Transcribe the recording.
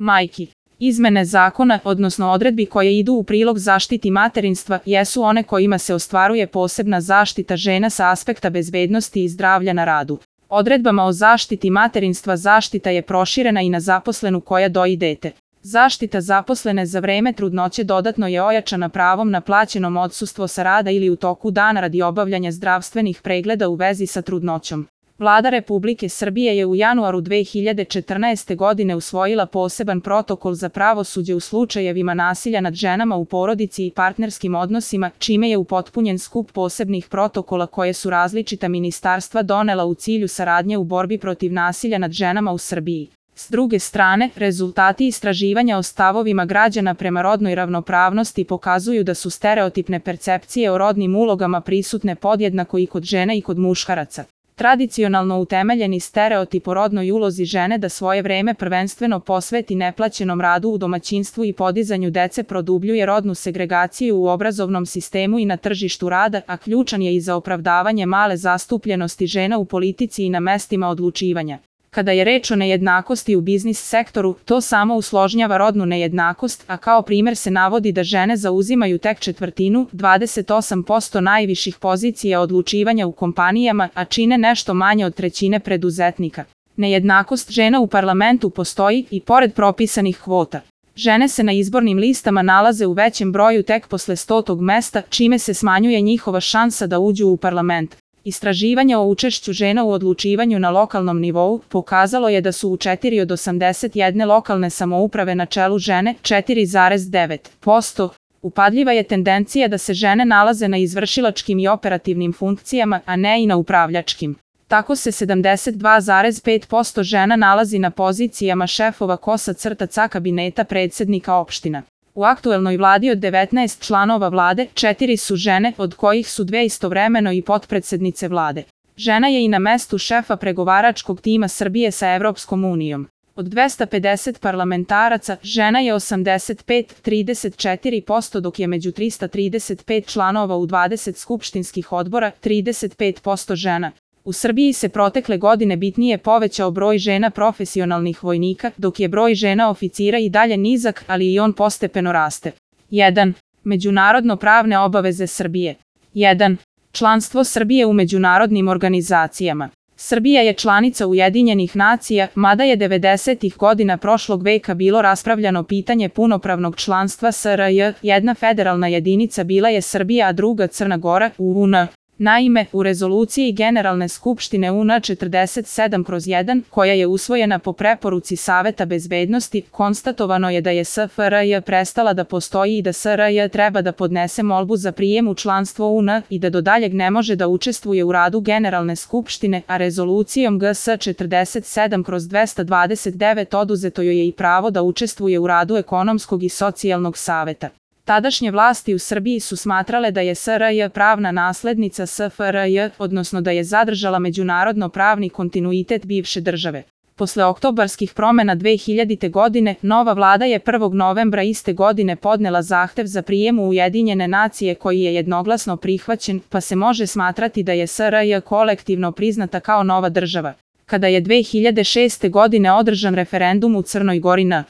majki. Izmene zakona, odnosno odredbi koje idu u prilog zaštiti materinstva, jesu one kojima se ostvaruje posebna zaštita žena sa aspekta bezbednosti i zdravlja na radu. Odredbama o zaštiti materinstva zaštita je proširena i na zaposlenu koja doji dete. Zaštita zaposlene za vreme trudnoće dodatno je ojačana pravom na plaćeno odsustvo sa rada ili u toku dana radi obavljanja zdravstvenih pregleda u vezi sa trudnoćom. Vlada Republike Srbije je u januaru 2014. godine usvojila poseban protokol za pravosuđe u slučajevima nasilja nad ženama u porodici i partnerskim odnosima, čime je upotpunjen skup posebnih protokola koje su različita ministarstva donela u cilju saradnje u borbi protiv nasilja nad ženama u Srbiji. S druge strane, rezultati istraživanja o stavovima građana prema rodnoj ravnopravnosti pokazuju da su stereotipne percepcije o rodnim ulogama prisutne podjednako i kod žena i kod muškaraca. Tradicionalno utemeljeni stereotip o rodnoj ulozi žene da svoje vreme prvenstveno posveti neplaćenom radu u domaćinstvu i podizanju dece produbljuje rodnu segregaciju u obrazovnom sistemu i na tržištu rada, a ključan je i za opravdavanje male zastupljenosti žena u politici i na mestima odlučivanja. Kada je reč o nejednakosti u biznis sektoru, to samo usložnjava rodnu nejednakost, a kao primer se navodi da žene zauzimaju tek četvrtinu, 28% najviših pozicija odlučivanja u kompanijama, a čine nešto manje od trećine preduzetnika. Nejednakost žena u parlamentu postoji i pored propisanih kvota. Žene se na izbornim listama nalaze u većem broju tek posle 100. mesta, čime se smanjuje njihova šansa da uđu u parlament. Istraživanje o učešću žena u odlučivanju na lokalnom nivou pokazalo je da su u 4 od 81 lokalne samouprave na čelu žene, 4,9%. Upadljiva je tendencija da se žene nalaze na izvršilačkim i operativnim funkcijama, a ne i na upravljačkim. Tako se 72,5% žena nalazi na pozicijama šefova kabineta predsednika opština. U aktuelnoj vladi od 19 članova vlade, 4 su žene, od kojih su 2 istovremeno i potpredsednice vlade. Žena je i na mestu šefa pregovaračkog tima Srbije sa Evropskom unijom. Od 250 parlamentaraca, žena je 85,34%, dok je među 335 članova u 20 skupštinskih odbora 35% žena. U Srbiji se protekle godine bitnije povećao broj žena profesionalnih vojnika, dok je broj žena oficira i dalje nizak, ali i on postepeno raste. 1. Međunarodno pravne obaveze Srbije. 1. Članstvo Srbije u međunarodnim organizacijama. Srbija je članica Ujedinjenih nacija, mada je 90-ih godina prošlog veka bilo raspravljano pitanje punopravnog članstva SRJ, jedna federalna jedinica bila je Srbija, a druga Crna Gora, UN. Naime, u rezoluciji Generalne skupštine UN 47/1, koja je usvojena po preporuci Saveta bezbednosti, konstatovano je da je SFRJ prestala da postoji i da SRJ treba da podnese molbu za prijem u članstvo UN i da do daljeg ne može da učestvuje u radu Generalne skupštine, a rezolucijom GS 47/229 oduzeto joj je i pravo da učestvuje u radu Ekonomskog i socijalnog saveta. Tadašnje vlasti u Srbiji su smatrale da je SRJ pravna naslednica SFRJ, odnosno da je zadržala međunarodno pravni kontinuitet bivše države. Posle oktobarskih promena 2000. godine, nova vlada je 1. novembra iste godine podnela zahtev za prijem u Ujedinjene nacije koji je jednoglasno prihvaćen, pa se može smatrati da je SRJ kolektivno priznata kao nova država. Kada je 2006. godine održan referendum u Crnoj Gori na